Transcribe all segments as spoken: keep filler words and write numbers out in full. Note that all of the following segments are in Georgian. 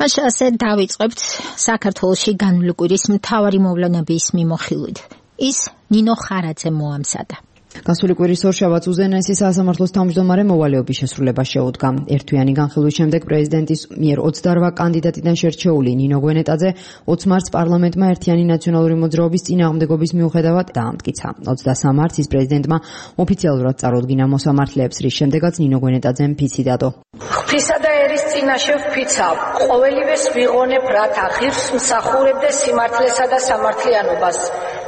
ასე დავიწყებთ საქართველოში განვლი კვირის მთავარი მოვლენების მიმოხილვით. ის ნინო ხარაძე მოამზადა. გასული კვირის ორშაბათს უზენაესი სასამართლოს თავმჯდომარე მოვალეობის შესრულება შეუდგა. ერთვიანი განხილვის შემდეგ პრეზიდენტის მიერ ოცდაორ კანდიდატიდან შერჩეული ნინო გვენეტაძე ოცი მარტს პარლამენტმა ერთიანი ნაციონალური მოძრაობის წინააღმდეგობის მიუხედავად დაამტკიცა. ოცდასამი მარტს ის პრეზიდენტმა ოფიციალურად წარუდგინა მოსამართლეებს, რის შემდეგაც ნინო გვენეტაძემ ფიცი დადო. ღვთისა და ერის წინაშე ვფიცავ, ყოველივეს ვიღონებ, რათა ღირს მსახურებდე სიმართლესა და სამართლიანობას.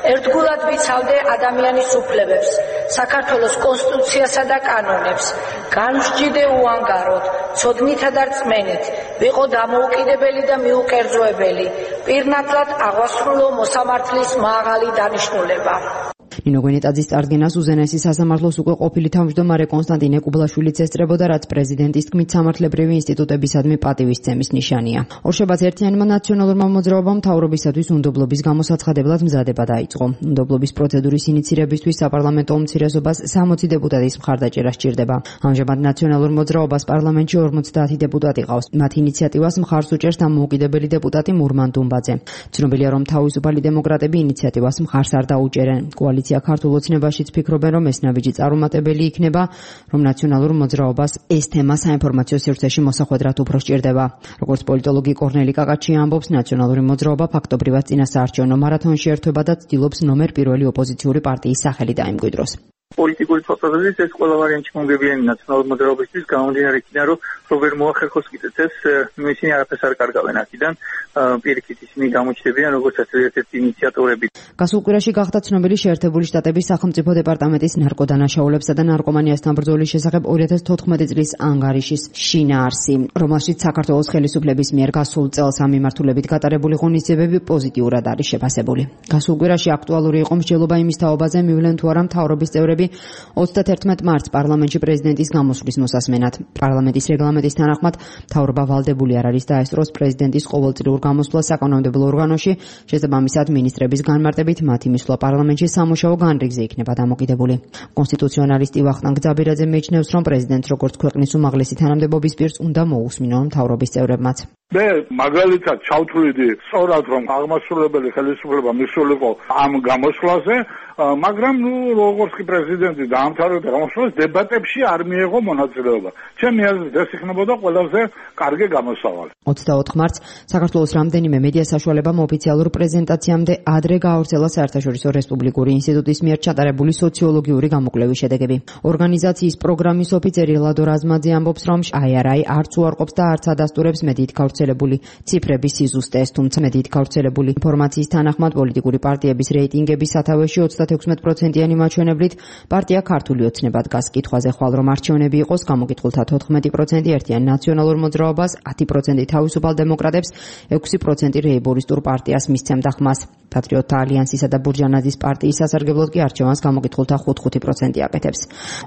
ერთგულად ვიცავდე ადამიანის უფლებებს, საქართველოს კონსტიტუციასა და კანონებს, განვსჯიდე უანგაროდ, ცოდნითა და რწმენით, ვიყო დამოუკიდებელი და მიუკერძოებელი, პირნათლად აღვასრულო მოსამართლის მაღალი დანიშნულება. ნინო გვენეტაძის წარდგენას უზენაესი სასამართლოს უკვე ყოფილი თავმჯდომარე კონსტანტინე კუბლაშვილიც ესწრებოდა, რაც პრეზიდენტის თქმით სამართლებრივი ინსტიტუტებისადმი პატივისცემის ნიშანია. ორშაბათს ერთიანმა ნაციონალურმა მოძრაობამ მთავრობისათვის უნდობლობის გამოსაცხადებლად მზადება დაიწყო. უნდობლობის პროცედურის ინიცირებისთვის საპარლამენტო უმცირესობას სამოცი დეპუტატის მხარდაჭერა სჭირდება. ამჟამად ნაციონალურ მოძრაობას პარლამენტში ორმოცდაათი დეპუტატი ყავს. მათ ინიციატივას მხარს უჭერს დამოუკიდებელი დეპუტატი მურმან დუმბაძე. ცნობილია, რომ თავისუფალი დემოკრატები ინიციატივას მხარს არ დაუჭერენ. კოალიცია ქართულ ოცნებაშიც ფიქრობენ, რომ ეს ნაბიჯი წარუმატებელი იქნება, რომ ნაციონალურ მოძრაობას ეს თემა საინფორმაციო სივრცეში მოსახვედრად უფრო სჭირდება. როგორც პოლიტოლოგი კორნელი კაკაჩია ამბობს, ნაციონალური მოძრაობა ფაქტობრივად წინასაარჩევნო მარათონში ერთვება და ცდილობს ნომერ პირველი ოპოზიციური პარტიის სახელი დაიმკვიდროს. პოლიტიკური პროცესის ეს ყველა ვარიანტი მომგებიანი ნაციონალური მოძრაობისთვის გამომდინარე იქიდან, რომ რობერ მოახერხოს კიდეც ეს ისინი არაფერს არ კარგავენ აქედან, პირიქით ისინი გამოჩნდებიან როგორც ერთ-ერთი ინიციატორები. გასულ კვირაში გახდა ცნობილი შეერთებული შტატების სახელმწიფო დეპარტამენტის ნარკოდანაშაულებსა და ნარკომანიასთან ბრძოლის შესახებ ორი ათას თოთხმეტი წლის ანგარიშის შინაარსი, რომელშიც საქართველოს ხელისუფლების მიერ გასულ წელს ამ მიმართულებით გატარებული ღონისძიებები პოზიტიურად არის შეფასებული. გასულ კვირაში აქტუალური იყო მსჯელობა იმის თაობაზე, მივლენ თუ არა მთავრობის წევრები ოცდათერთმეტ მარტს პარლამენტში პრეზიდენტის გამოსვლის მოსასმენად. პარლამენტის რეგლამენტის თანახმად მთავრობა ვალდებული არ არის დაესწროს პრეზიდენტის ყოველწლიურ გამოსვლას საკანონმდებლო ორგანოში, შესაბამისად მინისტრების განმარტებით მათი მისვლა პარლამენტში სამუშაო განრიგზე იქნება დამოკიდებული. კონსტიტუციონალისტი ვახტანგ ძაბირაძე მიიჩნევს, რომ პრეზიდენტს როგორც ქვეყნის უმაღლესი თანამდებობის პირს უნდა მოусმინონ მთავრობის წევრებმაც. მე მაგალითად ჩავთვლიდი სწორად, რომ აღმასრულებელი ხელისუფლება მისულიყო ამ გამოსვლაზე, მაგრამ ნუ როგორც კი პრეზიდენტი დაამთავრებდა გამოსვლას, დებატებში არ მიიღო მონაწილეობა. ჩემი აზრით ეს იქნებოდა ყველაზე კარგი გამოსავალი. ოცდაოთხ მარტს საქართველოს რამდენიმე მედია საშუალებამ ოფიციალურ პრეზენტაციამდე ადრე გაავრცელა საერთაშორისო რესპუბლიკური ინსტიტუტის მიერ ჩატარებული სოციოლოგიური გამოკვლევის შედეგები. ორგანიზაციის პროგრამის ოფიცერი ლადო რაზმაძე ამბობს, რომ აი არ აი არც უარყოფს და არც ადასტურებს მედიით გავრცელებული ციფრების სიზუსტეს, თუმცა მედიით გავრცელებული ინფორმაციის თანახმად პოლიტიკური პარტიების რეიტინგების სათავეში ოცდათექვსმეტ პროცენტიანი მაჩვენებლით პარტია ქართული ოცნება დგას. კითხვაზე ხვალ რომ არჩევნები იყოს, გამოკითხულთა თოთხმეტი პროცენტი ერთიან ნაციონალურ მოძრაობას, ათი პროცენტი თავისუფალ დემოკრატებს, ექვსი პროცენტი რეიბორისტულ პარტიას მისცემდა ხმას. პატრიოტთა ალიანსისა და ბურჟანაძის პარტიის სასარგებლოდ კი არჩევანს გამოკითხულთა ხუთი პროცენტი აკეთებს.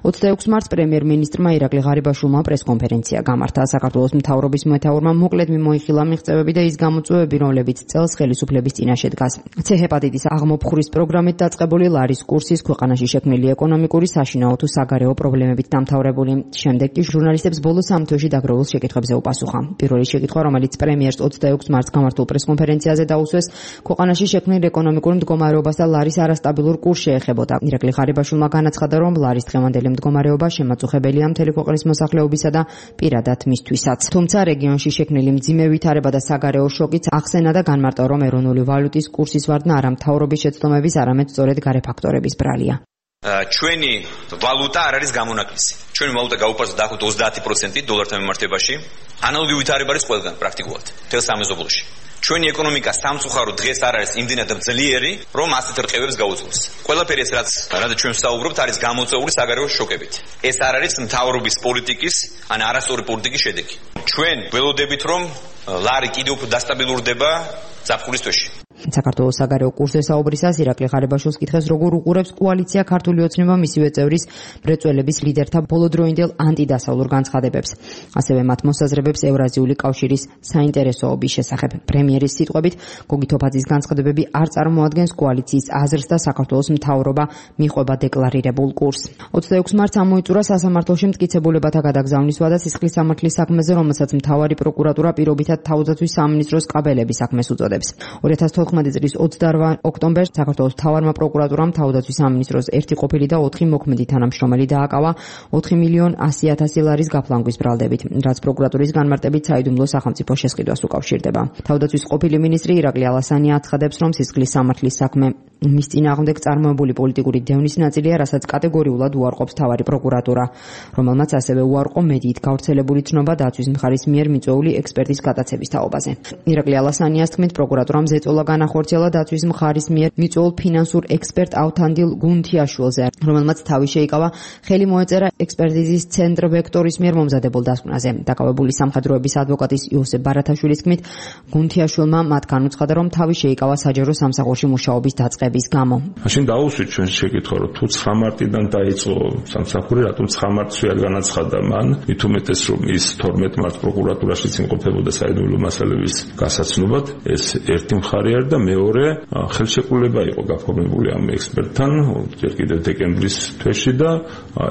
ოცდაექვსი მარტს პრემიერ-მინისტრმა ირაკლი ღარიბაშვილმა პრესკონფერენცია გამართა. საქართველოს მთავრობის მეთაურმა მოკლედ მიმოიხილა მიღწევები და ის გამოწვევები, რომლებიც წელს ხელისუფლების წინაშე დგას. ცე ჰეპატიტის აღმოფხვრის პროგრამით დაწყებული ლარის კურსის ქვეყანაში შექმნილი ეკონომიკური, საშინაო თუ საგარეო პრობლემებით დამთავრებული. შემდეგ კი ჟურნალისტებს ბოლო სამ თვეში დაგროვილ შეკითხვებზე უპასუხა. პირველი შეკითხვა, რომელიც პრემიერს ოცდაექვსი მარტს გამართულ პრესკონფერენციაზე დაუსვეს, ქვეყანაში შექმნილ ეკონომიკურ მდგომარეობას და ლარის არასტაბილურ კურსს შეეხებოდა. ირაკლი ღარიბაშვილმა განაცხადა, რომ ლარის დღევანდელი მდგომარეობა შემაწუხებელია მთელი ქვეყნის მოსახლეობისა და პირადად მისთვისაც. თუმცა რეგიონში შექმნილი მძიმე ვითარება და საგარეო შოკიც ახსენა და განმარტა, რომ ეროვნული ვალუტის კურსის ვარდნა არა მთავრობის შეცდომების, არამედ სწორედ გარე ფაქტორების ბრალია. ჩვენი ვალუტა არ არის გამონაკლისი. ჩვენი ვალუტა გაუპარსდა დაახლოებით ოცდაათი პროცენტი დოლართან მიმართებაში. ანალოგი ვითარება არის ყველგან პრაქტიკულად მთელ სამეზობლოში. ჩვენი ეკონომიკა სამწუხაროდ დღეს არ არის იმდენად ძლიერი, რომ ასეთ რყევებს გაუძლოს. ყველაფერი ეს რაც რაც ჩვენ ვსაუბრობთ არის გამოწვეული საგარეო შოკებით. ეს არ არის მთავრობის პოლიტიკის, ან არასწორი პოლიტიკის შედეგი. ჩვენ ველოდებით, რომ ლარი კიდევ უფრო დასტაბილურდება ზაფხულის თვეში. საქართველოს საგარეო კურსზე საუბრისას ირაკლი ღარიბაშვილს კითხეს, როგორ უყურებს კოალიცია ქართული ოცნება მისივე წევრის მრეწველების ლიდერთა ბოლოდროინდელ ანტიდასავლურ განცხადებებს. ასევე მათ მოსაზრებებს ევრაზიული კავშირის საინტერესოობის შესახებ. პრემიერის სიტყვებით, გოგი თოფაძის განცხადებები არ წარმოადგენს კოალიციის აზრს და საქართველოს მთავრობა მიყვება დეკლარირებულ კურსს. ოცდაექვსი მარტს ამოიწურა სასამართლოში მტკიცებულებათა გადაგზავნის ვადა სისხლის სამართლის საქმეზე, რომელსაც მთავარი პროკურატურა პირობითად თავდაცვის სამინისტროს კაბელების საქმეს უწოდებს. ორი ათას თოთხმეტი წლის ოცდაორ ოქტომბერს საქართველოს მთავარმა პროკურატურამ თავდაცვის სამინისტროს ერთი ყოფილი და ოთხი მოქმედი თანამშრომელი დააკავა ოთხი მილიონ ასი ათასი ლარის გაფლანგვის ბრალდებით, რაც პროკურატურის განმარტებით საიდუმლო სახელმწიფო შესყიდვას უკავშირდება. თავდაცვის ყოფილი მინისტრი ირაკლი ალასანია აცხადებს, რომ სისხლის სამართლის საქმე მის წინააღმდეგ წარმოებული პოლიტიკური დევნის ნაწილია, რასაც კატეგორიულად უარყოფს მთავარი პროკურატურა, რომელმაც ასევე უარყო მედიით გავრცელებული ცნობა დაცვის მხარის მიერ მიწვეული ექსპერტის გადაცემის თაობაზე. ირაკლი ალასანიას თქმით, პროკურატურამ ზეწოლა განახორციელა დაცვის მხარის მიერ მიწვეულ ფინანსურ ექსპერტ ავთანდილ გუნთიაშვილზე, რომელმაც თავი შეიკავა ხელი მოეწერა ექსპერტიზის ცენტრ ვექტორის მიერ მომზადებულ დასკვნაზე. დაკავებული სამხედროების ადვოკატის იოსებ ბარათაშვილის თქმით, გუნთიაშვილმა მათ განუცხადა, რომ თავი შეიკავა საჯარო სამსახურში მუშაობის დაწყების გამო. მაშინ დაუსვით ჩვენ შეკითხვა, რომ თუ ცხრა მარტიდან დაიწყო სამსახური, რატომ ცხრა მარტს ვერ განაცხადა მან? მით უმეტეს, რომ ის თორმეტ მარტს პროკურატურაშიც იმყოფებოდა საიდუმლო მასალების გასაცნობად, ეს ერთი მხარე არის და მეორე ხელშეკრულება იყო გაფორმებული ამ ექსპერტთან ჯერ კიდევ დეკემბრის თვეში და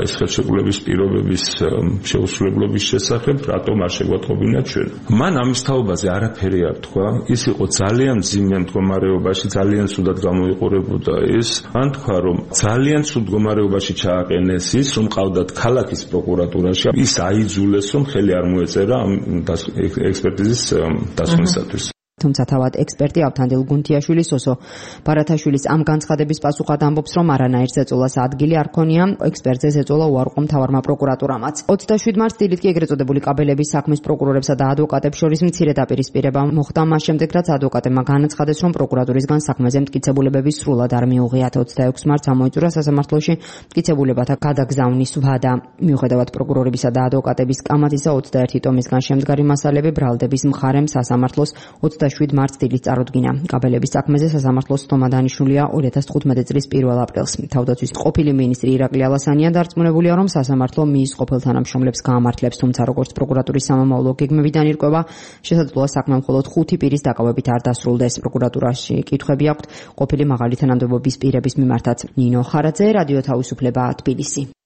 ეს ხელშეკრულების პირობების შეუსრულებლობის შესახებ რატომ არ შეგვატყობინა ჩვენ. მან ამის თაობაზე არაფერი არ თქვა, ის იყო ძალიან მძიმე მდგომარეობაში, ძალიან სუდად გამოიყურებოდა ის. ან თქვა, რომ ძალიან სუდ მდგომარეობაში ჩააყენეს ის, რომ ყავდათ ქალაქის პროკურატურაში, ის აიძულეს, რომ ხელი არ მოეწერა ამ ექსპერტიზის დასკვნისათვის. თუმცა თავად ექსპერტი ავთანდილ გუნთიაშვილი სოსო ბარათაშვილის ამ განცხადების პასუხად ამბობს, რომ არანაირ ზეწოლას ადგილი არ ქონია, ექსპერტზე ზეწოლა უარყო მთავარმა პროკურატურამაც. ოცდაშვიდი მარტს დილით კი ეგრეთ წოდებული კაბელების საქმის პროკურორებსა და ადვოკატებს შორის მცირე დაპირისპირება მოხდა მას შემდეგ, რაც ადვოკატებმა განაცხადეს, რომ პროკურატურისგან საქმეზე მტკიცებულებები სრულად არ მიუღიათ. ოცდაექვსი მარტს ამოიწურა სასამართლოში მტკიცებულებათა გადაგზავნის ვადა. მიუხედავად პროკურორებისა და ადვოკატების კამათისა, ოცდაერთი ტომისგან შემდგარი მასალები ბრალდების მხარემ სასამართლოს ოცდაშვიდი მარტს დილით წარუდგინა. კაბელების საქმეზე სასამართლოს თომა დანიშნულია ორი ათას თხუთმეტი წლის პირველ აპრილს. თავდაცვის ყოფილი მინისტრი ირაკლი ალასანია დარწმუნებულია, რომ სასამართლო მის ყოფილ თანამშრომლებს გაამართლებს, თუმცა როგორც პროკურატურის სამომავლო გეგმებიდან ირკვევა, შესაძლოა საქმე მხოლოდ ხუთი პირის დაკავებით არ დასრულდეს. პროკურატურაში კითხვები აქვთ ყოფილი მაღალი თანამდებობის პირების მიმართაც. ნინო ხარაძე, რადიო თავისუფლება, თბილისი.